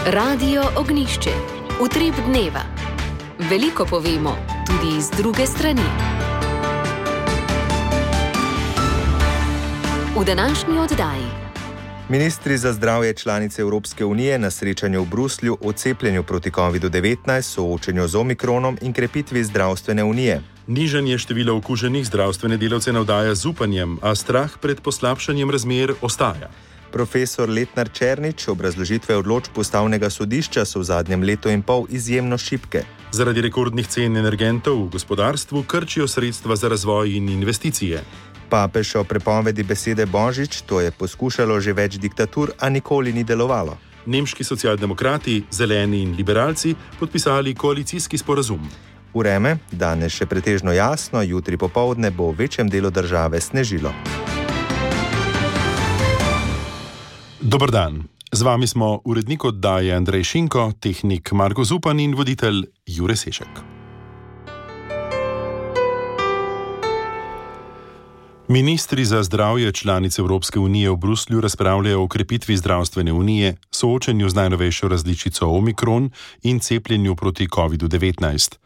Radio Ognjišče. Utrip dneva. Veliko povemo, tudi iz druge strani. V današnji oddaji. Ministri za zdravje članice Evropske unije na srečanju v Bruslju o cepljenju proti COVID-19, soočenju z omikronom in krepitvi zdravstvene unije. Nižanje števila okuženih zdravstvene delavce navdaja z upanjem, a strah pred poslabšanjem razmer ostaja. Profesor Letnar Černič, obrazložitve odločb Ustavnega sodišča so v zadnjem letu in pol izjemno šibke. Zaradi rekordnih cen energentov v gospodarstvu krčijo sredstva za razvoj in investicije. Papež o prepovedi besede božič, to je poskušalo že več diktatur, a nikoli ni delovalo. Nemški socialdemokrati, zeleni in liberalci podpisali koalicijski sporazum. Vreme, danes še pretežno jasno, jutri popoldne bo v večjem delu države snežilo. Dober dan. Z vami smo urednik oddaje Andrej Šinko, tehnik Marko Zupan in voditelj Jure Sešek. Ministri za zdravje članice Evropske unije v Bruslju razpravljajo o krepitvi zdravstvene unije, soočenju z najnovejšo različico omikron in cepljenju proti COVID-19.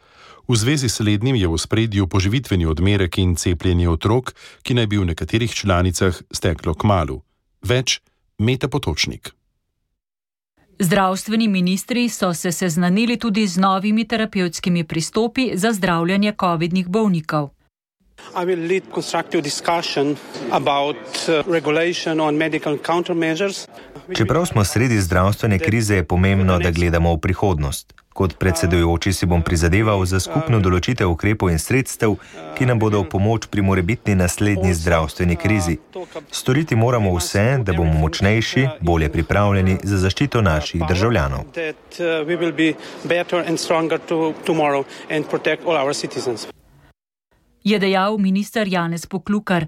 V zvezi s slednjim je v ospredju poživitveni odmerek in cepljenje otrok, ki naj bi v nekaterih članicah steklo kmalu. Več Meta Potočnik. Zdravstveni ministri so se seznanili tudi z novimi terapevtskimi pristopi za zdravljenje covidnih bolnikov. I will lead constructive discussion about regulation on medical countermeasures. Čeprav smo sredi zdravstvene krize, je pomembno, da gledamo v prihodnost. Kot predsedujoči si bom prizadeval za skupno določitev ukrepov in sredstev, ki nam bodo v pomoč pri morebitni naslednji zdravstveni krizi. Storiti moramo vse, da bomo močnejši, bolje pripravljeni za zaščito naših državljanov. Je dejal minister Janez Poklukar.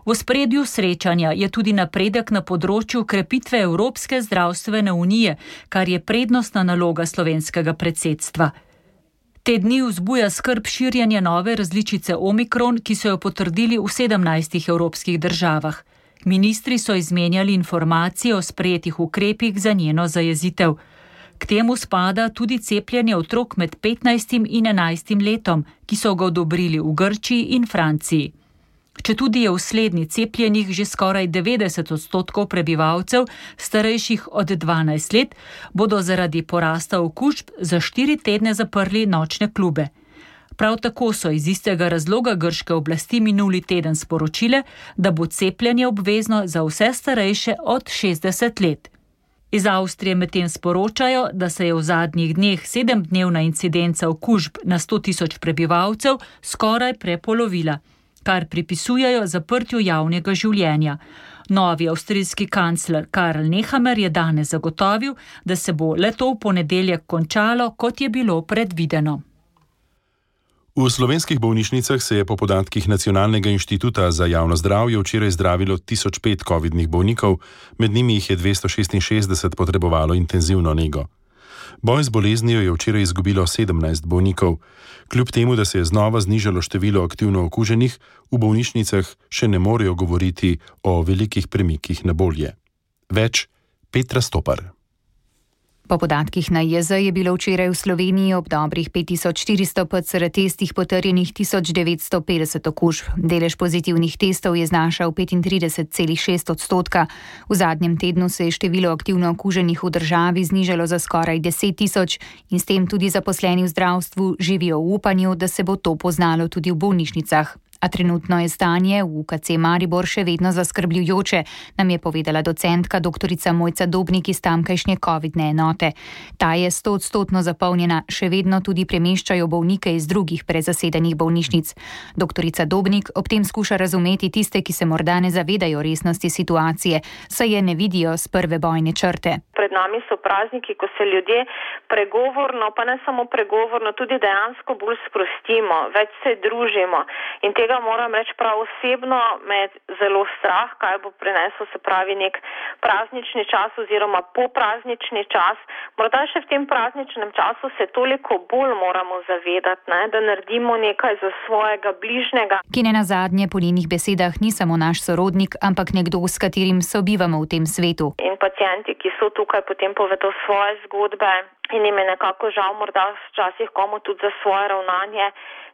V ospredju srečanja je tudi napredek na področju krepitve Evropske zdravstvene unije, kar je prednostna naloga slovenskega predsedstva. Te dni vzbuja skrb širjenje nove različice omikron, ki so jo potrdili v 17 evropskih državah. Ministri so izmenjali informacije o sprejetih ukrepih za njeno zajezitev. K temu spada tudi cepljenje otrok med 15 in 11 letom, ki so ga odobrili v Grčiji in Franciji. Četudi je v slednji cepljenih že skoraj 90% prebivalcev, starejših od 12 let, bodo zaradi porasta okužb za 4 tedne zaprli nočne klube. Prav tako so iz istega razloga grške oblasti minuli teden sporočile, da bo cepljenje obvezno za vse starejše od 60 let. Iz Avstrije medtem sporočajo, da se je v zadnjih dneh 7-dnevna incidenca okužb na 100 tisoč prebivalcev skoraj prepolovila, kar pripisujejo zaprtju javnega življenja. Novi avstrijski kancler Karl Nehammer je danes zagotovil, da se bo le-to v ponedeljek končalo, kot je bilo predvideno. V slovenskih bolnišnicah se je po podatkih Nacionalnega inštituta za javno zdravje včeraj zdravilo 1005 covidnih bolnikov, med njimi jih je 266 potrebovalo intenzivno nego. Boj z boleznijo je včeraj izgubilo 17 bolnikov. Kljub temu, da se je znova znižalo število aktivno okuženih, v bolnišnicah še ne morejo govoriti o velikih premikih na bolje. Več Petra Stopar. Po podatkih NIJZ je bilo včeraj v Sloveniji ob dobrih 5400 PCR testih potrjenih 1950 okužb. Delež pozitivnih testov je znašal 35,6%. V zadnjem tednu se je število aktivno okuženih v državi znižalo za skoraj 10 tisoč in s tem tudi zaposleni v zdravstvu živijo v upanju, da se bo to poznalo tudi v bolnišnicah. A trenutno je stanje v UKC Maribor še vedno zaskrbljujoče, nam je povedala docentka doktorica Mojca Dobnik iz tamkajšnje covidne enote. Ta je 100% zapolnjena, še vedno tudi premeščajo bolnike iz drugih prezasedenih bolnišnic. Doktorica Dobnik ob tem skuša razumeti tiste, ki se morda ne zavedajo resnosti situacije, saj je ne vidijo z prve bojne črte. Pred nami so prazniki, ko se ljudje pregovorno, pa ne samo pregovorno, tudi dejansko bolj sprostimo, več se družimo in te tega moram reči prav osebno, me zelo strah, kaj bo prinesel, se pravi, nek praznični čas oziroma popraznični čas. Morda še v tem prazničnem času se toliko bolj moramo zavedati, ne, da naredimo nekaj za svojega bližnjega. Ki nenazadnje po njenih besedah ni samo naš sorodnik, ampak nekdo, s katerim sobivamo v tem svetu. In pacienti, ki so tukaj, potem povedo svoje zgodbe in jim je nekako žal morda včasih komu tudi za svoje ravnanje.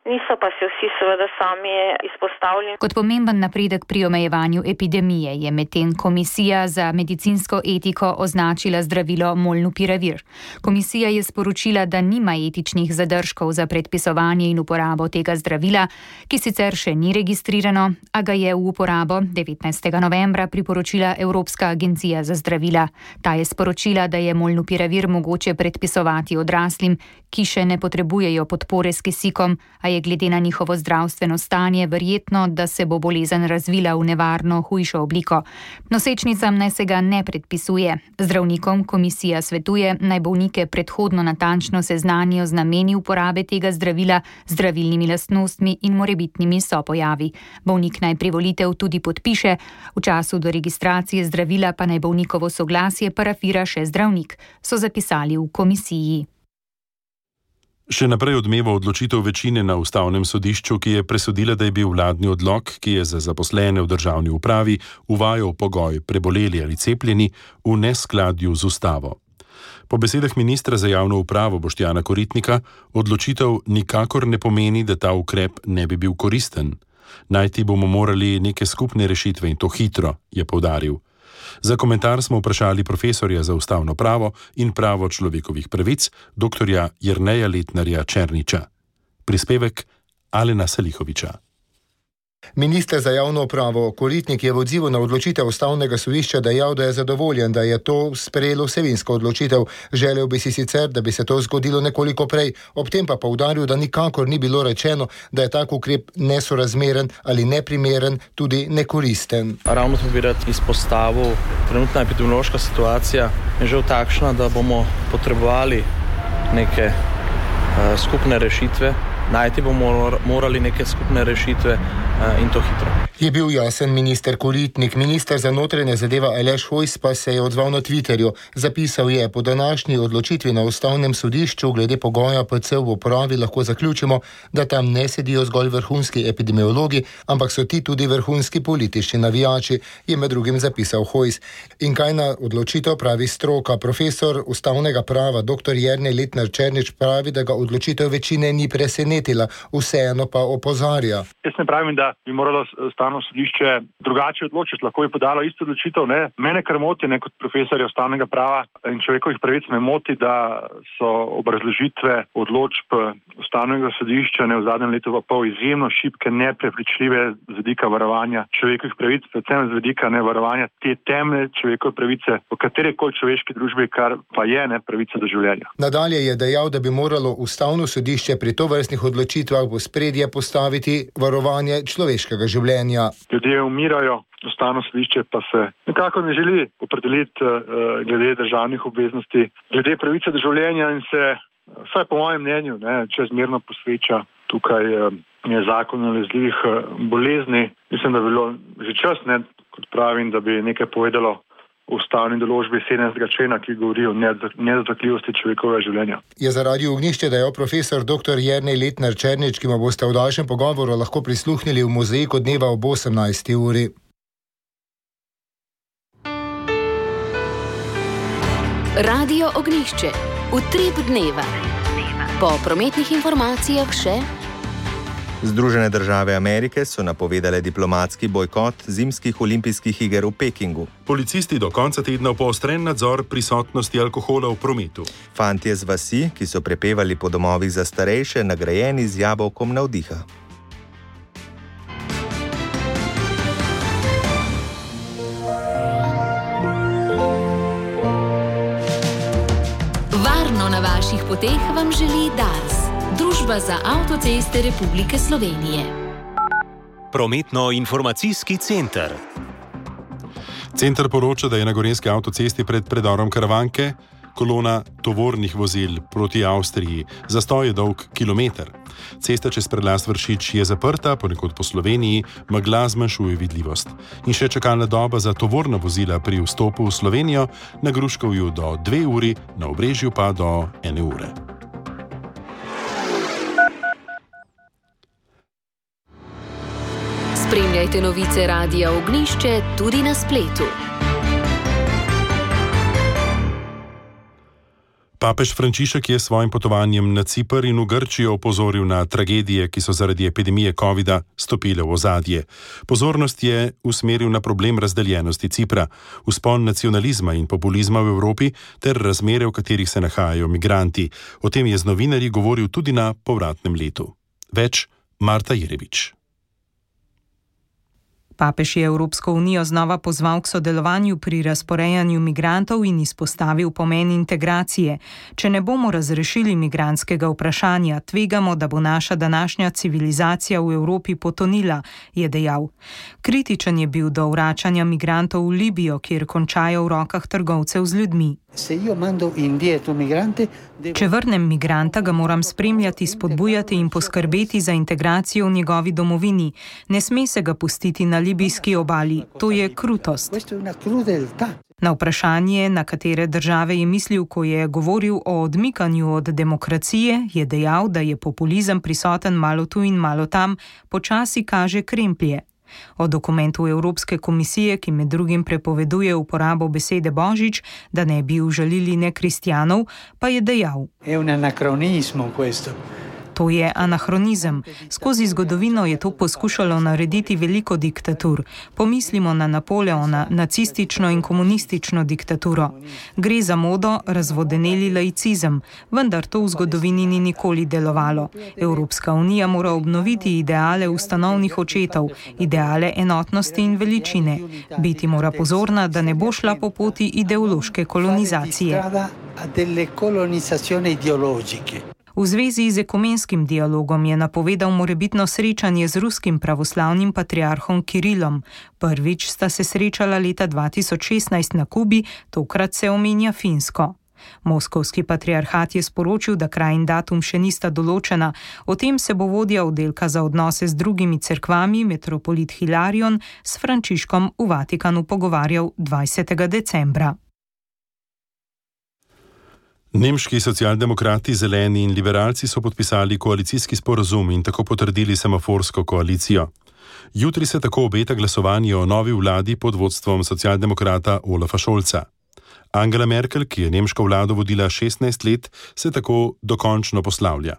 Niso pa se vsi seveda sami izpostavljeni. Kot pomemben napredek pri omejevanju epidemije je medtem Komisija za medicinsko etiko označila zdravilo Molnupiravir. Komisija je sporočila, da nima etičnih zadržkov za predpisovanje in uporabo tega zdravila, ki sicer še ni registrirano, a ga je v uporabo 19. novembra priporočila Evropska agencija za zdravila. Ta je sporočila, da je Molnupiravir mogoče predpisovati odraslim, ki še ne potrebujejo podpore s kisikom, a je glede na njihovo zdravstveno stanje verjetno, da se bo bolezen razvila v nevarno hujšo obliko. Nosečnicam naj se ga ne predpisuje. Zdravnikom komisija svetuje, naj bolnike predhodno natančno seznanijo z nameni uporabe tega zdravila, zdravilnimi lastnostmi in morebitnimi sopojavi. Bolnik naj privolitev tudi podpiše, v času do registracije zdravila pa naj bolnikovo soglasje parafira še zdravnik, so zapisali v komisiji. Še naprej odmeva odločitev večine na Ustavnem sodišču, ki je presodila, da je bil vladni odlok, ki je za zaposlene v državni upravi uvajal pogoj preboleli ali cepljeni, v neskladju z ustavo. Po besedah ministra za javno upravo Boštjana Koritnika odločitev nikakor ne pomeni, da ta ukrep ne bi bil koristen. Najti bomo morali neke skupne rešitve in to hitro, je poudaril. Za komentar smo vprašali profesorja za ustavno pravo in pravo človekovih pravic, doktorja Jerneja Letnarja Černiča. Prispevek Alena Salihoviča. Minister za javno upravo Koritnik je v odzivu na odločitev Ustavnega sodišča dejal, da je zadovoljen, da je to sprejelo vsebinsko odločitev. Želel bi si sicer, da bi se to zgodilo nekoliko prej, ob tem pa poudaril, da nikakor ni bilo rečeno, da je tak ukrep nesorazmeren ali neprimeren, tudi nekoristen. Ravno to bi rad izpostavil, trenutna epidemiološka situacija je že takšna, da bomo potrebovali neke skupne rešitve. Najti bomo morali neke skupne rešitve in to hitro. Je bil jasen minister Koritnik. Minister za notranje zadeve Aleš Hojs pa se je odzval na Twitterju. Zapisal je: po današnji odločitvi na Ustavnem sodišču glede pogoja PC v upravi lahko zaključimo, da tam ne sedijo zgolj vrhunski epidemiologi, ampak so ti tudi vrhunski politični navijači, je med drugim zapisal Hojs. In kaj na odločitev pravi stroka? Profesor ustavnega prava dr. Jernej Letnar Černič pravi, da ga odločitev večine ni presenetila, vseeno pa opozarja. Jaz ne pravim, da bi moralo Ustavno sodišče drugače odločiti, lahko je podalo isto odločitev. Mene kar moti, kot profesorja ustavnega prava in človekovih pravic, me moti, da so obrazložitve odločb Ustavnega sodišča v zadnjem letu pa pol izjemno šibke, neprepričljive z vidika varovanja človekovih pravic, predvsem z vidika varovanja te temeljne človekove pravice v katerikoli človeški družbi, kar pa je pravica do življenja. Nadalje je dejal, da bi moralo Ustavno sodišče pri tovrstnih odločitvah v ospredje postaviti varovanje človeškega življenja. Ljudje umirajo, Ustavno sodišče pa se nekako ne želi opredeliti glede državnih obveznosti, glede pravice do življenja in se, vsaj po mojem mnenju, čezmerno posveča tukaj zakon o nalezljivih bolezni. Mislim, da bi bilo že čas, kot pravim, da bi nekaj povedalo v ustavni določbi 17. člena, ki govori o nedotakljivosti človekovega življenja. Je zaradi ognjišče dejal profesor dr. Jernej Letnar Černič, ki mu boste v daljšem pogovoru lahko prisluhnili v Mozaiku dneva ob 18. uri. Radio Ognjišče. Utrip dneva. Po prometnih informacijah še. Združene države Amerike so napovedale diplomatski bojkot zimskih olimpijskih iger v Pekingu. Policisti do konca tedna poostren nadzor prisotnosti alkohola v prometu. Fantje z vasi, ki so prepevali po domovih za starejše, nagrajeni z jabolkom navdiha. Varno na vaših poteh vam želi Dars. Družba za avtoceste Republike Slovenije. Prometno-informacijski center. Center poroča, da je na gorenjski avtocesti pred predorom Karavanke kolona tovornih vozil proti Avstriji, zastoj je dolg kilometer. Cesta čez prelaz Vršič je zaprta, ponekod po Sloveniji megla zmanjšuje vidljivost. In še čakalna doba za tovorna vozila pri vstopu v Slovenijo, na Gruškovju do 2 uri, na Obrežju pa do 1 ure. Spremljajte novice Radia Ognjišče tudi na spletu. Papež Frančišek je s svojim potovanjem na Ciper in v Grčijo opozoril na tragedije, ki so zaradi epidemije covida stopile v ozadje. Pozornost je usmeril na problem razdeljenosti Cipra, vzpon nacionalizma in populizma v Evropi ter razmere, v katerih se nahajajo migranti. O tem je z novinarji govoril tudi na povratnem letu. Več Marta Jerevič. Papež je Evropsko unijo znova pozval k sodelovanju pri razporejanju migrantov in izpostavil pomen integracije. Če ne bomo razrešili migrantskega vprašanja, tvegamo, da bo naša današnja civilizacija v Evropi potonila, je dejal. Kritičen je bil do vračanja migrantov v Libijo, kjer končajo v rokah trgovcev z ljudmi. Če vrnem migranta, ga moram spremljati, spodbujati in poskrbeti za integracijo v njegovi domovini. Ne sme se ga pustiti na libijski obali. To je krutost. Na vprašanje, na katere države je mislil, ko je govoril o odmikanju od demokracije, je dejal, da je populizem prisoten malo tu in malo tam, počasi kaže kremplje. O dokumentu Evropske komisije, ki med drugim prepoveduje uporabo besede božič, da ne bi užalili nekristjanov, pa je dejal: To je anahronizem. Skozi zgodovino je to poskušalo narediti veliko diktatur. Pomislimo na Napoleona, nacistično in komunistično diktaturo. Gre za modo razvodeneli laicizem, vendar to v zgodovini ni nikoli delovalo. Evropska unija mora obnoviti ideale ustanovnih očetov, ideale enotnosti in veličine. Biti mora pozorna, da ne bo šla po poti ideološke kolonizacije. V zvezi z ekumenskim dialogom je napovedal morebitno srečanje z ruskim pravoslavnim patriarhom Kirilom. Prvič sta se srečala leta 2016 na Kubi, tokrat se omenja Finsko. Moskovski patriarhat je sporočil, da kraj in datum še nista določena. O tem se bo vodja oddelka za odnose z drugimi cerkvami, metropolit Hilarion, s Frančiškom v Vatikanu pogovarjal 20. decembra. Nemški socialdemokrati, zeleni in liberalci so podpisali koalicijski sporazum in tako potrdili semaforsko koalicijo. Jutri se tako obeta glasovanje o novi vladi pod vodstvom socialdemokrata Olafa Scholza. Angela Merkel, ki je nemško vlado vodila 16 let, se tako dokončno poslavlja.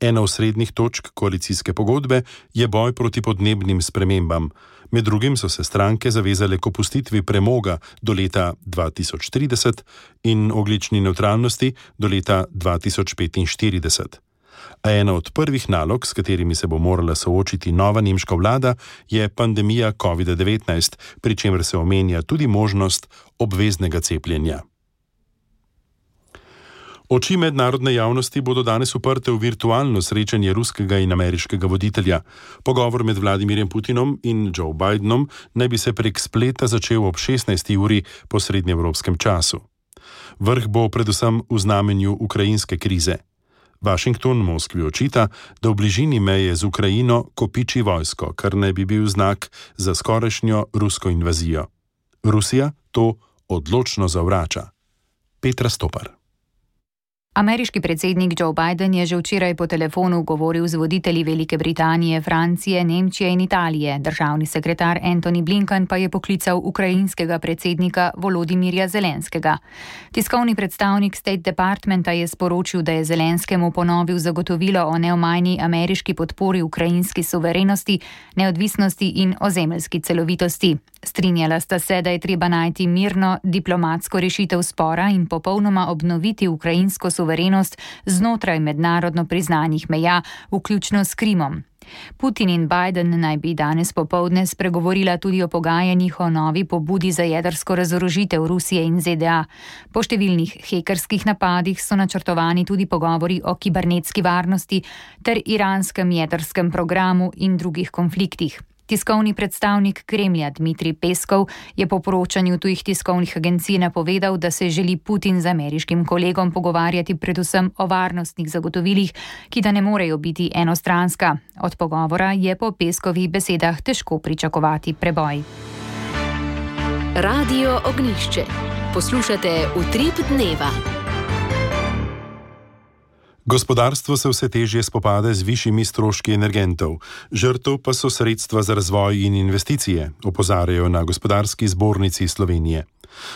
Ena osrednjih točk koalicijske pogodbe je boj proti podnebnim spremembam. Med drugim so se stranke zavezale k opustitvi premoga do leta 2030 in ogljični nevtralnosti do leta 2045. A ena od prvih nalog, s katerimi se bo morala soočiti nova nemška vlada, je pandemija COVID-19, pri čemer se omenja tudi možnost obveznega cepljenja. Oči mednarodne javnosti bodo danes uprte v virtualno srečanje ruskega in ameriškega voditelja. Pogovor med Vladimirjem Putinom in Joe Bidenom naj bi se prek spleta začel ob 16. uri po srednjeevropskem času. Vrh bo predvsem v znamenju ukrajinske krize. Washington Moskvi očita, da v bližini meje z Ukrajino kopiči vojsko, kar naj bi bil znak za skorajšnjo rusko invazijo. Rusija to odločno zavrača. Petra Stopar. Ameriški predsednik Joe Biden je že včeraj po telefonu govoril z voditelji Velike Britanije, Francije, Nemčije in Italije. Državni sekretar Antony Blinken pa je poklical ukrajinskega predsednika Volodimirja Zelenskega. Tiskovni predstavnik State Departmenta je sporočil, da je Zelenskemu ponovil zagotovilo o neomajni ameriški podpori ukrajinski suverenosti, neodvisnosti in ozemeljski celovitosti. Strinjala sta se, da je treba najti mirno diplomatsko rešitev spora in popolnoma obnoviti ukrajinsko suverenost znotraj mednarodno priznanih meja, vključno s Krimom. Putin in Biden naj bi danes popoldne spregovorila tudi o pogajanjih o novi pobudi za jedrsko razorožitev Rusije in ZDA. Po številnih hekerskih napadih so načrtovani tudi pogovori o kibernetski varnosti ter iranskem jedrskem programu in drugih konfliktih. Tiskovni predstavnik Kremlja Dmitrij Peskov je po poročanju tujih tiskovnih agencij napovedal, da se želi Putin z ameriškim kolegom pogovarjati predvsem o varnostnih zagotovilih, ki da ne morejo biti enostranska. Od pogovora je po Peskovih besedah težko pričakovati preboj. Radio Ognišče. Poslušate Utrip dneva. Gospodarstvo se vse težje spopada z višjimi stroški energentov, žrtev pa so sredstva za razvoj in investicije, opozarjajo na Gospodarski zbornici Slovenije.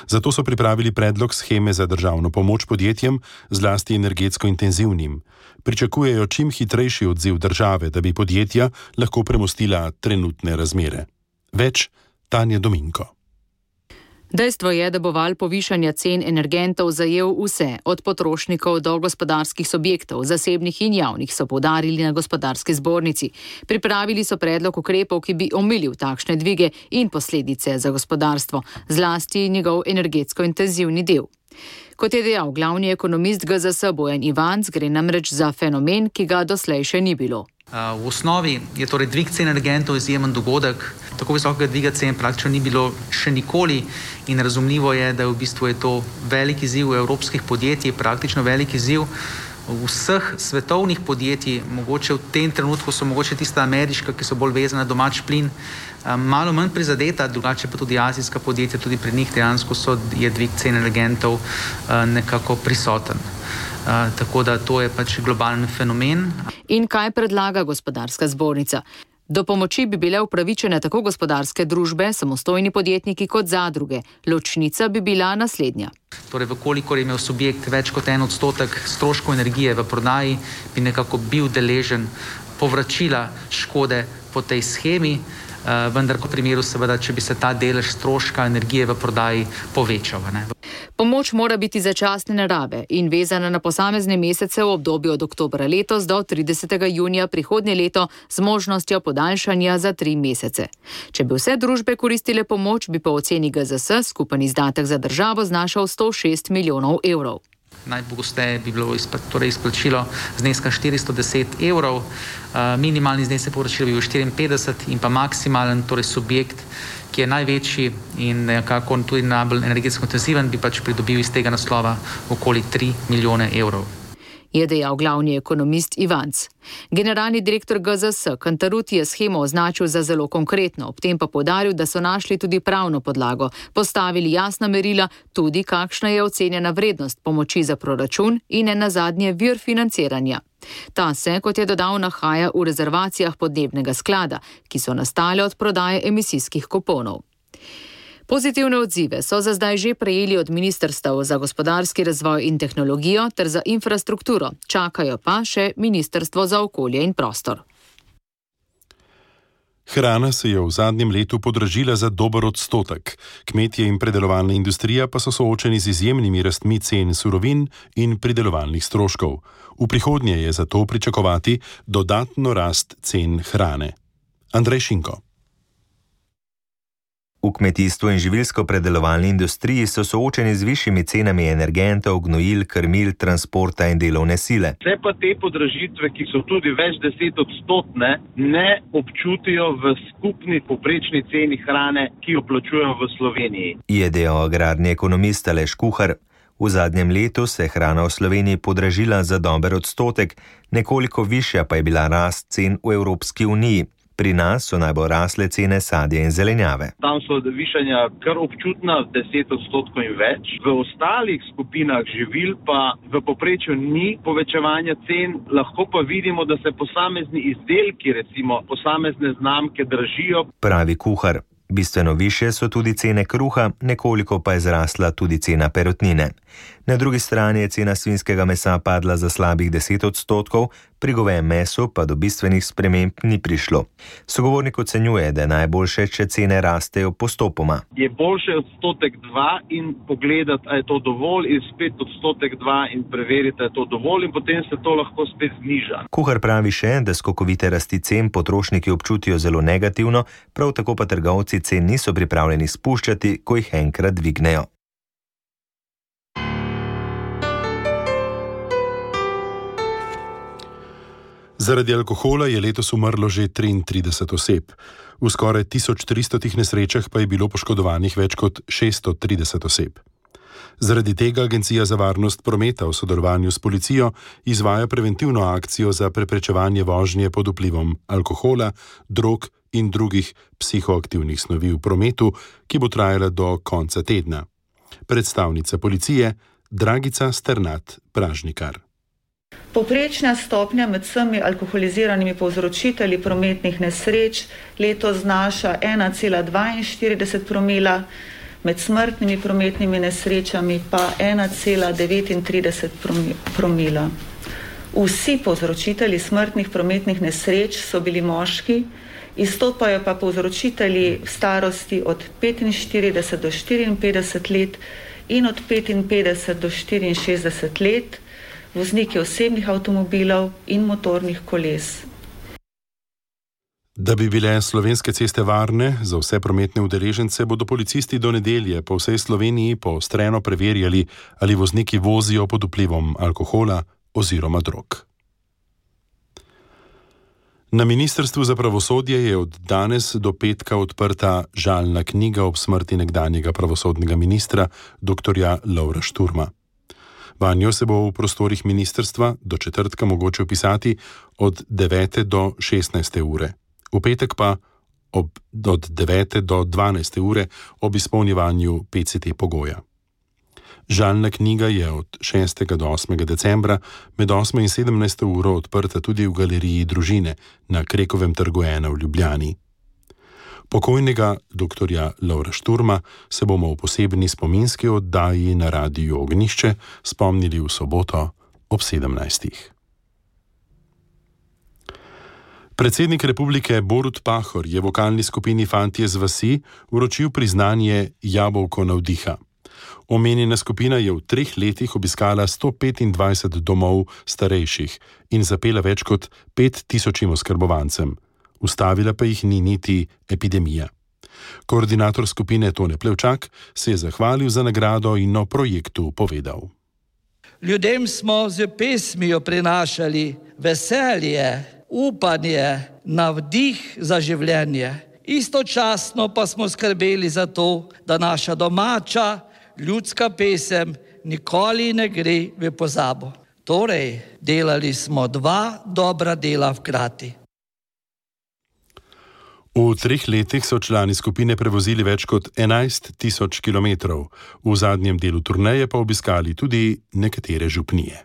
Zato so pripravili predlog sheme za državno pomoč podjetjem, zlasti energetsko intenzivnim. Pričakujejo čim hitrejši odziv države, da bi podjetja lahko premostila trenutne razmere. Več Tanja Dominko. Dejstvo je, da bo val povišanja cen energentov zajel vse, od potrošnikov do gospodarskih subjektov, zasebnih in javnih, so poudarili na Gospodarski zbornici. Pripravili so predlog ukrepov, ki bi omilil takšne dvige in posledice za gospodarstvo, zlasti njegov energetsko intenzivni del. Kot je dejal glavni ekonomist GZS Bojan Ivanc, gre namreč za fenomen, ki ga doslej še ni bilo. V osnovi je torej dvig cen energentov izjemen dogodek. Tako visokega dviga cen praktično ni bilo še nikoli in razumljivo je, da v bistvu je to velik izziv evropskih podjetij, praktično velik izziv vseh svetovnih podjetij. Mogoče v tem trenutku so mogoče tista ameriška, ki so bolj vezana na domač plin, malo manj prizadeta, drugače pa tudi azijska podjetja, tudi pri njih dejansko je dvig cen energentov nekako prisoten. Tako da to je pač globalen fenomen. In kaj predlaga Gospodarska zbornica? Do pomoči bi bile upravičene tako gospodarske družbe, samostojni podjetniki kot zadruge. Ločnica bi bila naslednja. Torej, vkolikor je imel subjekt več kot 1% stroškov energije v prodaji, bi nekako bil deležen povračila škode po tej shemi, vendar v primeru seveda, če bi se ta delež stroška energije v prodaji povečal. Pomoč mora biti začasne narave in vezana na posamezne mesece v obdobju od oktobra letos do 30. junija prihodnje leto z možnostjo podaljšanja za 3 mesece. Če bi vse družbe koristile pomoč, bi po oceni GZS skupen izdatek za državo znašal 106 milijonov evrov. Najpogosteje bi bilo izplačilo zneska 410 evrov, minimalni znesek povračila bi bil 54 in pa maksimalen, torej subjekt, ki je največji in nekako tudi najbolj energetsko intenziven, bi pač pridobil iz tega naslova okoli 3 milijone evrov. Je dejal glavni ekonomist Ivanc. Generalni direktor GZS Cantarutti je shemo označil za zelo konkretno, ob tem pa poudaril, da so našli tudi pravno podlago, postavili jasna merila, tudi kakšna je ocenjena vrednost pomoči za proračun in nenazadnje vir financiranja. Ta se, kot je dodal, nahaja v rezervacijah podnebnega sklada, ki so nastale od prodaje emisijskih kuponov. Pozitivne odzive so za zdaj že prejeli od Ministrstev za gospodarski razvoj in tehnologijo ter za infrastrukturo, čakajo pa še Ministrstvo za okolje in prostor. Hrana se je v zadnjem letu podražila za dober odstotek. Kmetje in predelovalna industrija pa so soočeni z izjemnimi rastmi cen surovin in pridelovalnih stroškov. V prihodnje je zato pričakovati dodatno rast cen hrane. Andrej Šinko. V kmetijstvu in živilsko-predelovalni industriji so soočeni z višjimi cenami energentov, gnojil, krmil, transporta in delovne sile. Vse pa te podražitve, ki so tudi več 10%, ne občutijo v skupni povprečni ceni hrane, ki jo plačujemo v Sloveniji. Je dejal agrarni ekonomist Aleš Kuhar. V zadnjem letu se je hrana v Sloveniji podražila za dober odstotek, nekoliko višja pa je bila rast cen v Evropski uniji. Pri nas so najbolj rasle cene sadja in zelenjave. Tam so višanja kar občutna, 10% in več. V ostalih skupinah živil pa v povprečju ni povečevanja cen, lahko pa vidimo, da se posamezni izdelki, recimo posamezne znamke, dražijo. Pravi Kuhar. Bistveno višje so tudi cene kruha, nekoliko pa je zrasla tudi cena perutnine. Na drugi strani je cena svinjskega mesa padla za slabih 10%, pri govejem mesu pa do bistvenih sprememb ni prišlo. Sogovornik ocenjuje, da je najboljše, če cene rastejo postopoma. Je boljše 1%-2% in pogledati, a je to dovolj, in spet 1%-2% in preveriti, a je to dovolj in potem se to lahko spet zniža. Kuhar pravi še, da skokovite rasti cen potrošniki občutijo zelo negativno, prav tako pa trgovci cen niso pripravljeni spuščati, ko jih enkrat dvignejo. Zaradi alkohola je letos umrlo že 33 oseb. V skoraj 1300 nesrečah pa je bilo poškodovanih več kot 630 oseb. Zaradi tega Agencija za varnost prometa v sodelovanju s policijo izvaja preventivno akcijo za preprečevanje vožnje pod vplivom alkohola, drog in drugih psihoaktivnih snovi v prometu, ki bo trajala do konca tedna. Predstavnica policije Dragica Sternat-Pražnikar. Povprečna stopnja med vsemi alkoholiziranimi povzročitelji prometnih nesreč letos znaša 1,42 promila, med smrtnimi prometnimi nesrečami pa 1,39 promila. Vsi povzročitelji smrtnih prometnih nesreč so bili moški, izstopajo pa povzročitelji v starosti od 45 do 54 let in od 55 do 64 let, vozniki osebnih avtomobilov in motornih koles. Da bi bile slovenske ceste varne za vse prometne udeležence, bodo policisti do nedelje po vsej Sloveniji poostreno preverjali, ali vozniki vozijo pod vplivom alkohola oziroma drog. Na Ministrstvu za pravosodje je od danes do petka odprta žalna knjiga ob smrti nekdanjega pravosodnega ministra dr. Lovra Šturma. Vanjo se bo v prostorih ministrstva do četrtka mogoče vpisati od 9. do 16. ure. V petek pa od 9. do 12. ure ob izpolnjevanju PCT pogoja. Žalna knjiga je od 6. do 8. decembra med 8. in 17. uro odprta tudi v galeriji Družine na Krekovem trgu 1 v Ljubljani. Pokojnega dr. Lovra Šturma se bomo v posebni spominski oddaji na Radiu Ognjišče spomnili v soboto ob 17. Predsednik republike Borut Pahor je vokalni skupini Fantje z vasi vročil priznanje Jabolko navdiha. Omenjena skupina je v 3 letih obiskala 125 domov starejših in zapela več kot 5000 oskrbovancem. Ustavila pa jih ni niti epidemija. Koordinator skupine Tone Plevčak se je zahvalil za nagrado in o projektu povedal. Ljudem smo z pesmijo prinašali veselje, upanje, navdih za življenje. Istočasno pa smo skrbeli za to, da naša domača ljudska pesem nikoli ne gre v pozabo. Torej, delali smo 2 dobra dela hkrati. V 3 letih so člani skupine prevozili več kot 11 000 kilometrov, v zadnjem delu turneje pa obiskali tudi nekatere župnije.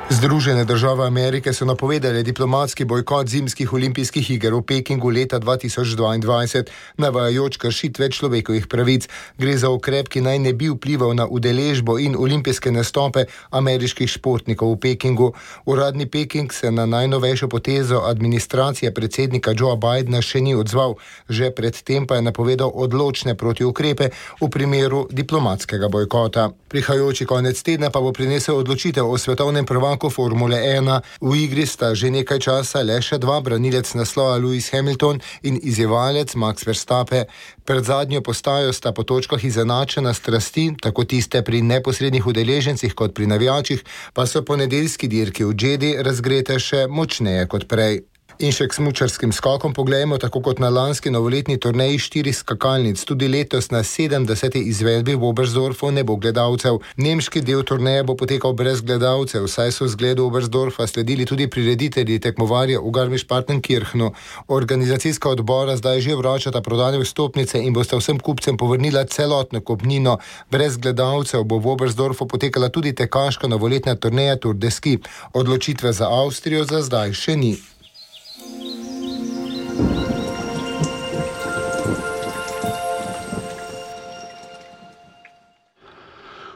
Združene države Amerike so napovedali diplomatski bojkot zimskih olimpijskih iger v Pekingu leta 2022, navajajoč kršitve človekovih pravic. Gre za ukrep, ki naj ne bi vplival na udeležbo in olimpijske nastope ameriških športnikov v Pekingu. Uradni Peking se na najnovejšo potezo administracije predsednika Joea Bidena še ni odzval, že predtem pa je napovedal odločne protiukrepe v primeru diplomatskega bojkota. Prihajajoči konec tedna pa bo prinesel odločitev o svetovnem prvaku Formule 1. V igri sta že nekaj časa le še 2, branilec naslova Lewis Hamilton in izjevalec Max Verstappen. Pred zadnjo postajo sta po točkah izenačena strasti, tako tiste pri neposrednih udeležencih kot pri navijačih, pa so po nedeljski dirki v Jeddi razgrete še močneje kot prej. In še k smučarskim skokom poglejmo, tako kot na lanski novoletni turneji 4 skakalnic, tudi letos na 70. izvedbi v Oberstdorfu ne bo gledalcev. Nemški del turneje bo potekal brez gledalcev, saj so zgledu Oberstdorfa sledili tudi prireditelji tekmovarja v Garmisch-Partenkirchenu. Organizacijska odbora zdaj že vračata prodane vstopnice in bosta vsem kupcem povrnila celotno kupnino. Brez gledalcev bo v Oberstdorfu potekala tudi tekaška novoletna turneja Tour de Ski. Odločitve za Avstrijo za zdaj še ni.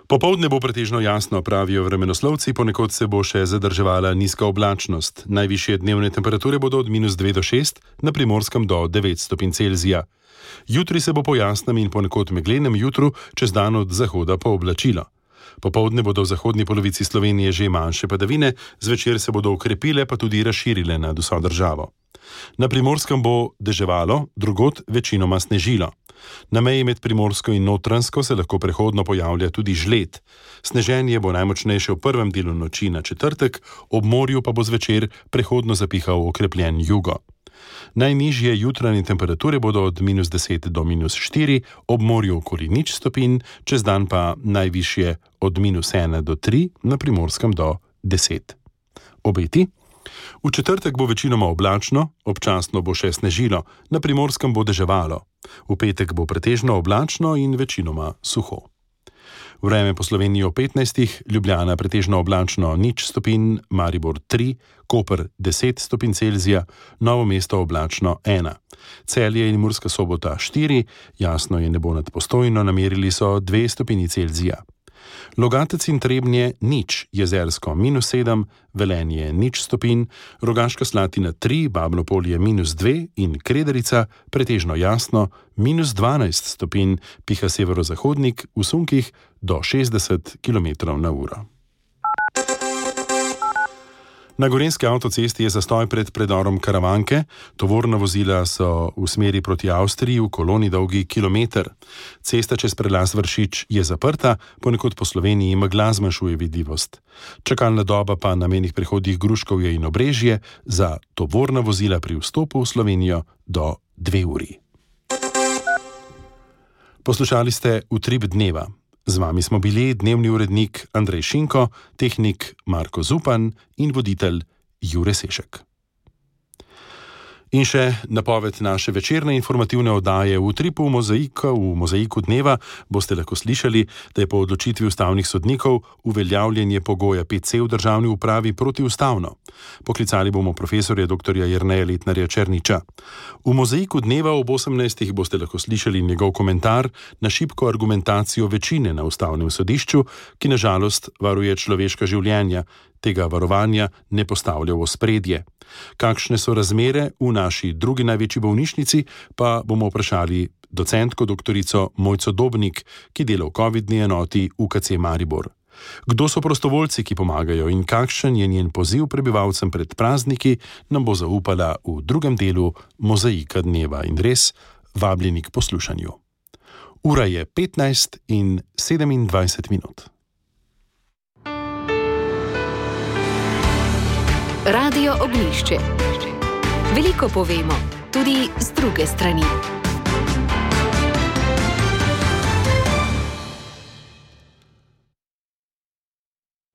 Popoldne bo pretežno jasno, pravijo vremenoslovci, ponekod se bo še zadrževala nizka oblačnost. Najvišje dnevne temperature bodo od -2 do 6, na Primorskem do 9 stopinj Celzija. Jutri se bo po jasnem in ponekod meglenem jutru čez dan od zahoda pooblačilo. Popoldne bodo v zahodni polovici Slovenije že manjše padavine, zvečer se bodo okrepile pa tudi razširile nad vso državo. Na Primorskem bo deževalo, drugod večinoma snežilo. Na meji med Primorsko in Notranjsko se lahko prehodno pojavlja tudi žled. Sneženje bo najmočnejše v prvem delu noči na četrtek, ob morju pa bo zvečer prehodno zapihal okrepljen jugo. Najnižje jutranje temperature bodo od -10 do -4, ob morju okoli 0 stopinj, čez dan pa najvišje od -1 do 3, na Primorskem do 10. Obeti? V četrtek bo večinoma oblačno, občasno bo še snežilo, na Primorskem bo deževalo. V petek bo pretežno oblačno in večinoma suho. Vreme po Sloveniji o 15, Ljubljana pretežno oblačno 0 stopinj, Maribor 3, Koper 10 stopinj Celzija, Novo mesto oblačno 1. Celje in Murska Sobota 4, jasno je nebo nad Postojno, namerili so 2 stopinji Celzija. Logatec in Trebnje 0, Jezersko -7, Velenje 0 stopinj, Rogaška Slatina 3, Babno Polje -2 in Krederica pretežno jasno -12 stopinj, piha severozahodnik, v sunkih do 60 km/h. Na Gorenjski avtocesti je zastoj pred predorom Karavanke, tovorna vozila so v smeri proti Avstriji v koloni dolgi kilometer. Cesta čez prelaz Vršič je zaprta, ponekod po Sloveniji megla zmanjšuje vidljivost. Čakalna doba pa na mejnih prehodih Gruškovje in Obrežje za tovorna vozila pri vstopu v Slovenijo do 2 uri. Poslušali ste Utrip dneva. Z vami smo bili dnevni urednik Andrej Šinko, tehnik Marko Zupan in voditelj Jure Sešek. In še napoved naše večerne informativne oddaje v Utripu v Mozaiku dneva boste lahko slišali, da je po odločitvi ustavnih sodnikov uveljavljanje pogoja 5C v državni upravi protiustavno. Poklicali bomo profesorja dr. Jerneja Letnarja Černiča. V Mozaiku dneva ob 18. boste lahko slišali njegov komentar na šibko argumentacijo večine na ustavnem sodišču, ki na žalost varuje človeška življenja. Tega varovanja ne postavlja v ospredje. Kakšne so razmere v naši drugi največji bolnišnici, pa bomo vprašali docentko doktorico Mojco Dobnik, ki dela v COVID-ni enoti UKC Maribor. Kdo so prostovoljci, ki pomagajo in kakšen je njen poziv prebivalcem pred prazniki, nam bo zaupala v drugem delu Mozaika dneva in res vabljeni k poslušanju. Ura je 15:27. Radio Ognjišče. Veliko povemo, tudi z druge strani.